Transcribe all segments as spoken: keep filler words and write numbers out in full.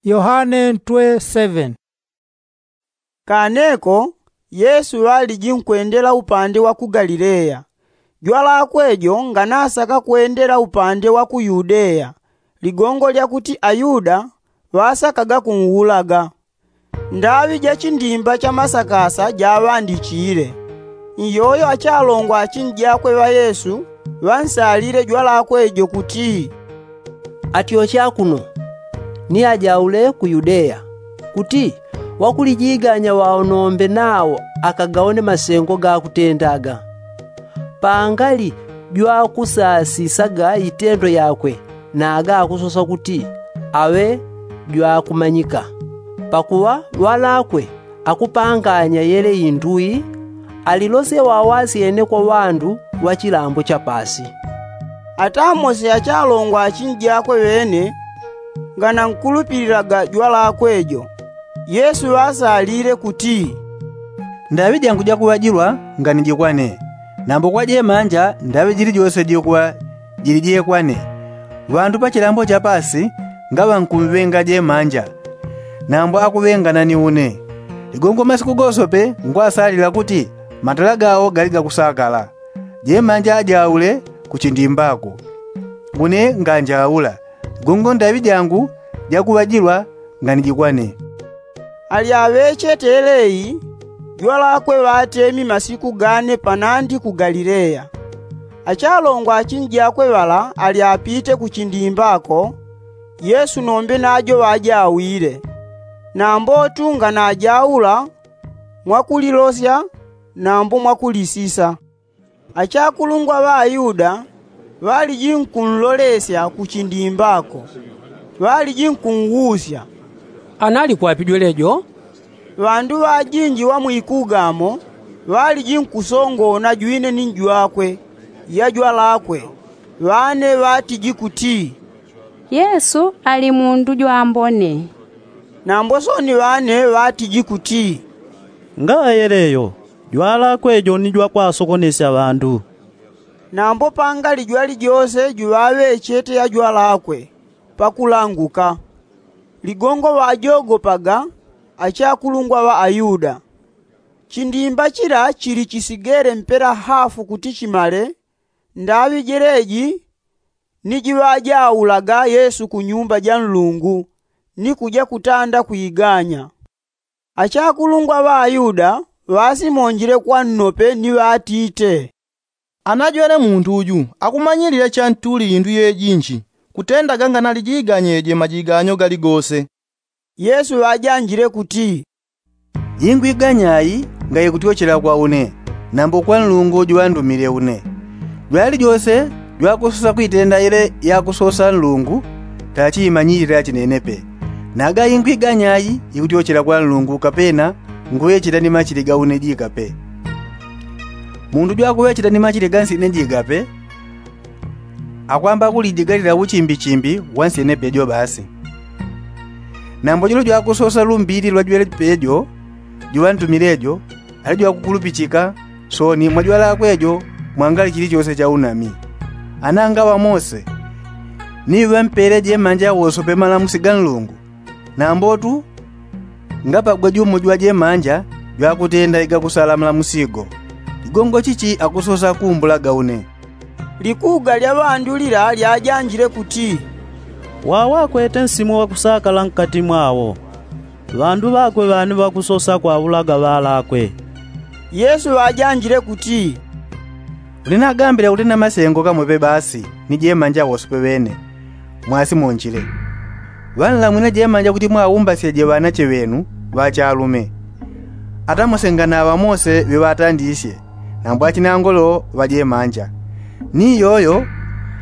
Yohane ntwe seven. Kaneko yesu ŵaliji nkwendela upande wa ku galileya. Jwalakwe jo nganasaka kwendela upande wa ku yudeya, ligongo lyakuti ayuda ŵasakaga kunwulaga. Ndaŵi ja chindimba cha masakasa jaŵandichile. Iyoyo achalongwa achinjakwe ŵa yesu ŵansalile jwalakwe jo kuti, atyoche akuno ni ajaule ku yudeya, kuti wakulijiganya ŵaonombe nawo akagaone masengo gakutendaga. Pangali jwakusasisaga itendo yakwe naga akusosa kuti aŵe jwakumanyika. Pakuŵa ŵalakwe akupanganya yele indu ii, alilosye wawasyene kwa ŵandu ŵa chilambo cha pasi. Ata mose achalongwa achinjakwe ŵene nganankulupililaga jwalakwe jo. Yesu ŵasalile kuti, ndaŵi jangu jakuŵajilwa nganijikwane, nambo kwa jemanja ndaŵi jilijose jikuŵa jilijekwane. Ŵandu pa chilambo cha pasi ngaŵankumŵenga jemanja, nambo akuŵengana ni une. Ligongo masiku gosope ngwasalila kuti matala gawo gali gakusakala. Jemanja ajaule ku chindimbako, une nganjaula. Ligongo ndaŵi jangu jakuŵajilwa nganijikwane. Alyaŵechete yeleyi jwalakwe ŵatemi masiku gane panandi ku galileya. Achalongwa achinjakwe ŵala alyapite ku chindimbako, yesu nombe najo ŵajawile. Nambotu nganajaula mwakulilosya nambo mwakulisisa. Achakulungwa ŵa ayuda ŵaliji nkunlolesya ku chindimbako, ŵaliji nkunwusya, anali kwapi jwelejo? Ŵandu ŵajinji ŵa mwikugamo ŵaliji nkusongona jwine ni njwakwe ya jwalakwe. Ŵane ŵatiji kuti, yesu ali mundu jwambone. Nambo soni ŵane ŵatiji kuti, ngaŵa yeleyo jwalakwe jo ni jwakwasokonesya ŵandu. Nambo pangali jwalijose juŵaŵechete ya jwalakwe pakulanguka. Ligongo ŵajogopaga achakulungwa ŵa ayuda. Chindimba chila chili chisigele mpela hafu kuti chimale. Ndaŵi jeleji ni jiŵajaulaga yesu ku nyumba ja nlungu ni kuja kutanda kwiganya. Achakulungwa ŵa ayuda ŵasimonjile kwa nnope ni ŵatite, anajwene mundu uju akumanyilile chantuli indu yejinji kutendaga nganalijiganyeje majiganyo galigose. Yesu ŵajanjile kuti, ingwi ganyayi ngayikutyochela kwa une, nambo kwa nlungu juŵandumile une. Jwalijose jwakusosa kwitenda ile yakusosa nlungu tachiimanyilile achinenepe. Naga ingwi ganyayi ikutyochela kwa nlungu kapena nguŵechela ni machili ga une jikape. Mundu jwakuŵechela ni machili ga nsyene jikape akwamba kulidigalila uchimbichimbi wa nsyene pejo basi. Nambo jolo jwakusosa lumbili lwa jwele pejo juŵantumile jo ali jwakukulupichika. Soni mwa jwalakwe jo mwangali chilichose cha unami. Ana ngaŵa mose ni ŵampele jemanja wosope malamusi ga nlungu. Nambotu ngapagwe jumo jwa jemanja jwakutenda igakusala malamusi go. Ligongo chichi akusosa kumbulaga une? Likuga lya ŵandu lila lyajanjile kuti, wawakwete nsimu wakusakala nkati mwawo. Ŵandu ŵakwe ŵani ŵakusosa kwaulaga ŵalakwe. Yesu ŵajanjile kuti, uli nagambile kuti na masengo kamope basi ni jemanja wosope ŵene. Mwasimonjile ŵanlamwine jemanja kuti mwaumbasyeje ŵanache ŵenu ŵachalume. Ata mose nganaŵa mose ŵiŵatandisye nambo achinangolo ŵa jemanja. Ni iyoyo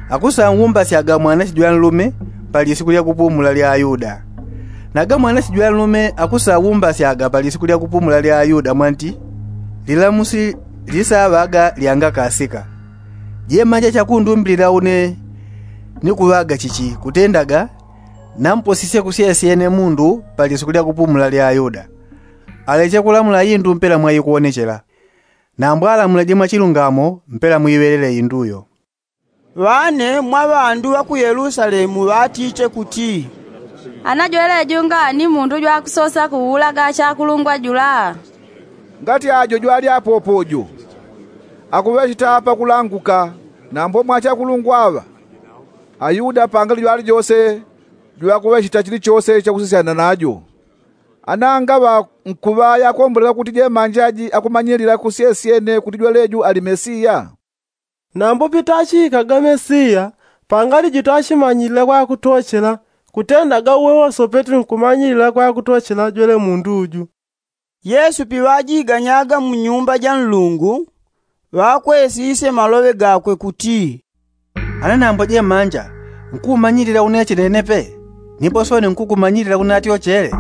akusaumbasyaga mwanache jwanlume pa lisiku lya kupumula lya ayuda. Naga mwanache jwanlume akusaumbasyaga pa lisiku lya kupumula lya ayuda mwanti lilamusi lisaŵaga lyangakasika. Jemanja chakundumbilila une ni kuŵaga chichi kutendaga namposisye kusyesyene mundu pa lisiku lya kupumula lya ayuda. Aleche kulamula indu mpela mwaikuwonechela. Nambo alamulaje mwachilungamo mpela mwiŵelele indu yo. Ŵane mwa ŵandu ŵa ku yelusalemu ŵatite kuti, Ana jweleju ngani mundu jwakusosa kuulaga achakulungwa jula? Ngati ajo jwali apopo jo akuŵecheta pakulanguka, nambo mwa achakulungwa aŵa ayuda pangali jwalijose jwakuŵecheta chilichose chakusisyana najo. Ana ngaŵa nkuŵa yakombolela kuti jemanja ji akumanyilila kusyesyene kuti jweleju ali mesiya? Nambo pitachikaga mesiya pangali jitachimanyilila kwakutochela kutendaga uwe wosopete nkumanyilila kwakutochela jwele mundu uju. Yesu piŵajiganyaga mu nyumba ja nlungu, ŵakwesisye maloŵe gakwe kuti, ana nambo jemanja nkuumanyilila une chenenepe, nipo sone nkukumanyilila une atyochele.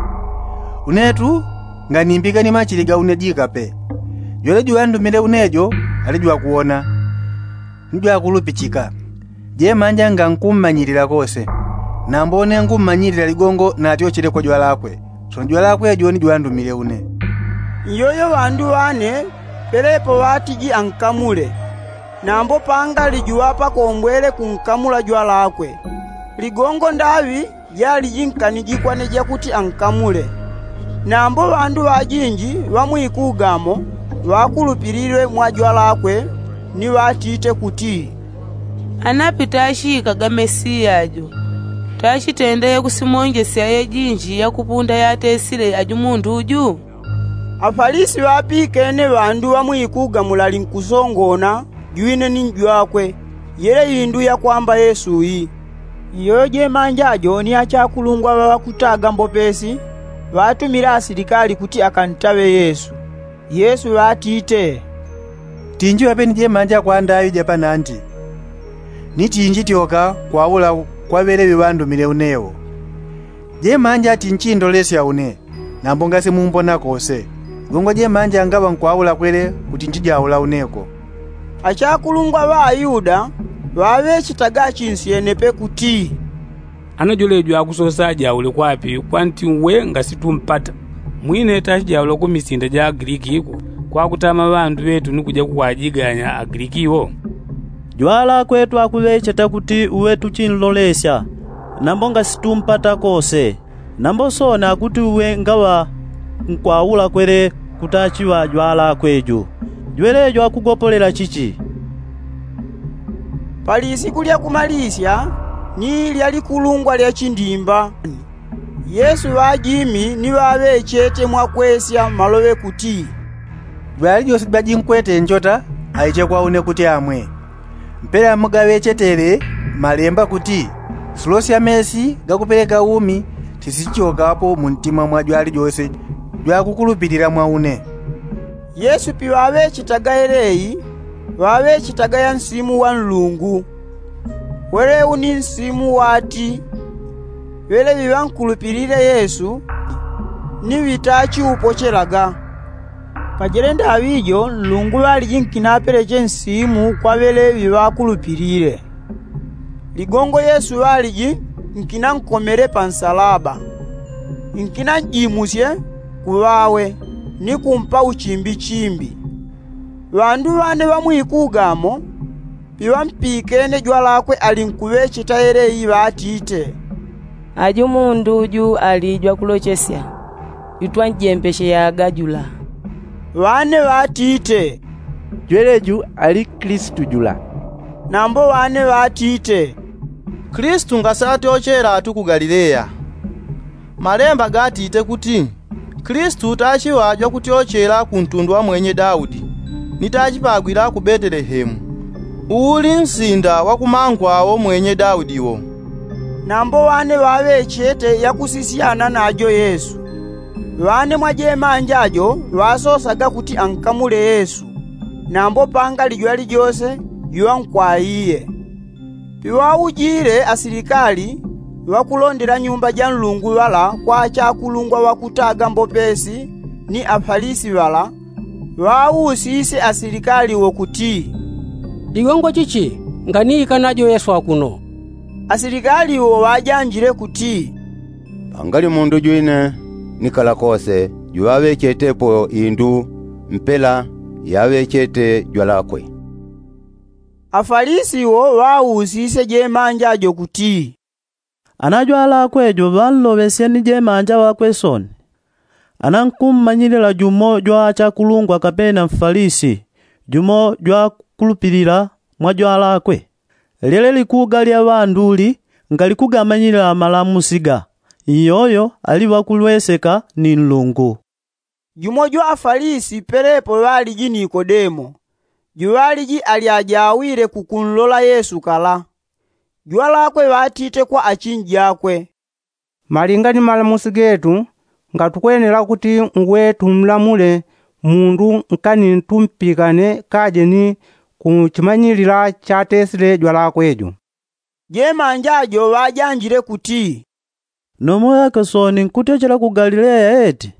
Une tu nganimbike ni machili ga une jikape. Jwele juŵandumile une jo ali jwakuwona ni jwakulupichika. Jemanja ngankummanyilila kose, nambo une ngummanyilila ligongo natyochele kwa jwalakwe, sono jwalakwe jo ni juŵandumile une. Iyoyo ŵandu ŵane pelepo ŵatiji ankamule. Nambo pangali juŵapakombwele kunkamula jwalakwe. Ligongo ndaŵi jaliji nkaniji kwane jakuti ankamule. Nambo ŵandu ŵajinji ŵa mwikugamo ŵakulupililwe mwa jwalakwe ni ŵatite kuti, ana pitachikaga mesiya jo, tachitendele kusimonjesya yejinji yakupunda yatesile aju mundu uju? Afalisi ŵapikene ŵandu ŵa mwikugamo lalinkusongona jwine ni jwakwe, yele indu yakwamba yesu iyi. Iyoyo jemanja jo ni achakulungwa ŵa ŵakutaga mbopesi ŵatumile asilikali kuti akantaŵe yesu. Yesu ŵatite, tinji ŵapeni jemanja kwa ndaŵi ja panandi, ni tinji tyoka kwaula kwa ŵeleŵi ŵandumile une wo. Jemanja tinchindolesya une, nambo ngasimumbona kose. Ligongo jemanja ngaŵa nkwaula kwele kuti nchijaula une ko. Achakulungwa ŵa ayuda ŵaŵechetaga achinsyene pe kuti, ana jwelejo akusosa ajaule kwapi kwanti uwe ngasitumpata? Mwine tachijaula ku misinda ja agiliki iko, kwakutama ŵandu ŵetu ni kuja kukwajiganya agiliki iwo. Jwalakwe twakuŵecheta kuti uwe tuchinlolesya, nambo ngasitumpata kose. Nambo sone akuti uwe ngaŵa nkwaula kwele kutachiŵa jwalakwe jo, jwelejo akugopolela chichi? Palisiku lya kumalisya ni lya likulungwa lya chindimba, yesu ŵajimi ni ŵaŵechete mwakwesya maloŵe kuti, jwalijose jwajinkwete njota aiche kwa une kuti amwe. Mpela mugaŵechetele malemba kuti, sulo sya mesi gakupeleka umi sisichokapo mu ntima mwa jwalijose jwakukulupilila mwa une. Yesu piŵaŵechetaga yeleyi, ŵaŵechetaga ya nsimu wa nlungu. Welewu ni nsimu wati ŵeleŵi ŵankulupilile yesu ni ŵitachiupochelaga. Pajele ndaŵi jo nlungu ŵaliji nkinapeleche nsimu kwa ŵeleŵi ŵakulupilile. Ligongo yesu ŵaliji nkinankomele pa nsalaba, nkinanjimusye kuŵawe ni kumpa uchimbichimbi. Ŵandu ŵane ŵa mwikugamo piŵampikene jwalakwe alinkuŵecheta yeleyi ŵatite, aju mundu uju ali jwakulochesya, jutwanjembesheyaga jula. Ŵane ŵatite, jweleju ali kilisitu jula. Nambo ŵane ŵatite, kilisitu ngasaatyochela atu ku galileya. Malemba gatite kuti, kilisitu tachiŵa jwakutyochela ku ntundu wa mwenye daudi, ni tachipagwila ku betelehemu, uuli nsinda wa kumangwa wo mwenye daudi wo. Nambo ŵane ŵaŵechete yakusisyana najo yesu. Ŵane mwa jemanja jo ŵasosaga kuti ankamule yesu, nambo pangali jwalijose juŵankwaiye. Piŵaujile asilikali ŵakulondela nyumba ja nlungu ŵala kwa achakulungwa ŵakutaga mbopesi ni afalisi ŵala, ŵausisye asilikali wo kuti, ligongo chichi nganiika najo yesu akuno? Asilikali wo ŵajanjile kuti, pangali mundu jwine nikala kose juŵaŵechetepo indu mpela yaŵechete jwalakwe. Afalisi wo ŵausisye jemanja jo kuti, Ana jwalakwe jo ŵanloŵesye ni jemanja ŵakwe sooni. Ana nkummanyilila jumo jwa achakulungwa kapena mfalisi, jumo jwakulupilila mwa jwalakwe. Lyele likuga lya ŵanduli ngalikugamanyilila malamusi ga, iyoyo ali ŵakulweseka ni nlungu. Jumo jwa afalisi pelepo ŵaliji nikodemo, juŵaliji ali ajawile kukunlola yesu kala. Jwalakwe ŵatite kwa achinji jakwe, malinga ni malamusi getu, ngatukwenela kuti ngwe tumlamule mundu nkani tumpikane kaje ni kuchimanyilila chatesile jwalakwe jo. Jemanja jo ŵajanjile kuti, nomo ŵake sooni nkutyochela ku galileya eti?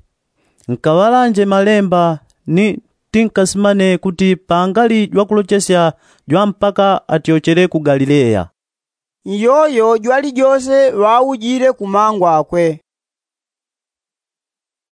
Nkaŵalanje malemba ni tinkasimane kuti pangali jwakulochesya jwa mpaka atyochele ku galileya. Iyoyo jwali jose ŵaujile ku mangu akwe.